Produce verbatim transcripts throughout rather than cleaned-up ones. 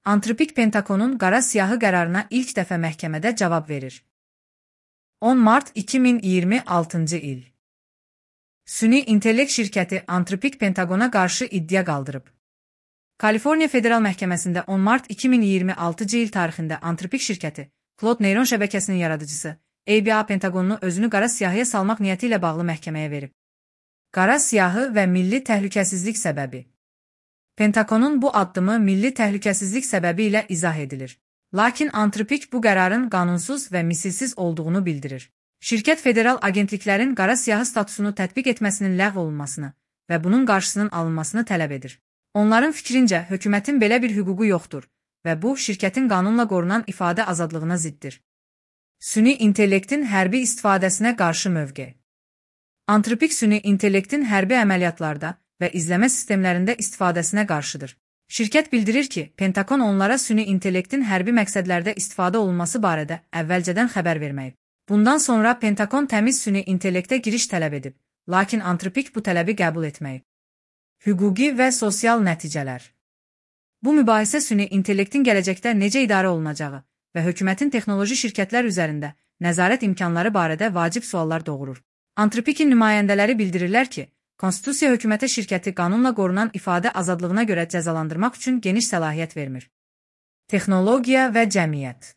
Antropik Pentagonun qara siyahı qərarına ilk dəfə məhkəmədə cavab verir. on mart iki min iyirmi altıncı il. Süni intellekt şirkəti Antropik Pentagona qarşı iddia qaldırıb. Kaliforniya Federal Məhkəməsində on mart iki min iyirmi altıncı il tarixində Antropik şirkəti, Cloud neyron şəbəkəsinin yaradıcısı, A B A Pentagonunu özünü qara siyahıya salmaq niyyəti ilə bağlı məhkəməyə verib. Qara siyahı və milli təhlükəsizlik səbəbi. Pentagonun bu addımı milli təhlükəsizlik səbəbi ilə izah edilir. Lakin Antropik bu qərarın qanunsuz və misilsiz olduğunu bildirir. Şirkət federal agentliklərin qara siyahı statusunu tətbiq etməsinin ləğv olunmasını və bunun qarşısının alınmasını tələb edir. Onların fikrincə, hökumətin belə bir hüququ yoxdur və bu, şirkətin qanunla qorunan ifadə azadlığına ziddir. Süni intellektin hərbi istifadəsinə qarşı mövqe. Antropik süni intellektin hərbi əməliyyatlarda və izləmə sistemlərində istifadəsinə qarşıdır. Şirkət bildirir ki, Pentagon onlara süni intellektin hərbi məqsədlərdə istifadə olunması barədə əvvəlcədən xəbər verməyib. Bundan sonra Pentagon təmiz süni intellektə giriş tələb edib, lakin Antropik bu tələbi qəbul etməyib. Hüquqi və sosial nəticələr. Bu mübahisə süni intellektin gələcəkdə necə idarə olunacağı və hökumətin texnoloji şirkətlər üzərində nəzarət imkanları barədə vacib suallar doğurur. Antropikin nümayəndələri bildirirlər ki, Konstitusiya hökumətə şirkəti qanunla qorunan ifadə azadlığına görə cəzalandırmaq üçün geniş səlahiyyət vermir. Texnologiya və cəmiyyət.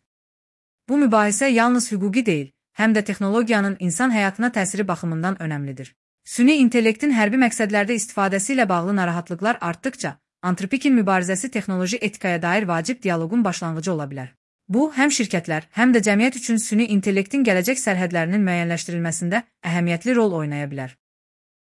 Bu mübahisə yalnız hüquqi deyil, həm də texnologiyanın insan həyatına təsiri baxımından önəmlidir. Süni intellektin hərbi məqsədlərdə istifadəsi ilə bağlı narahatlıqlar artdıqca, Antropikin mübarizəsi texnoloji etikaya dair vacib dialoqun başlanğıcı ola bilər. Bu, həm şirkətlər, həm də cəmiyyət üçün süni intellektin gələcək sərhədlərinin müəyyənləşdirilməsində əhəmiyyətli rol oynaya bilər.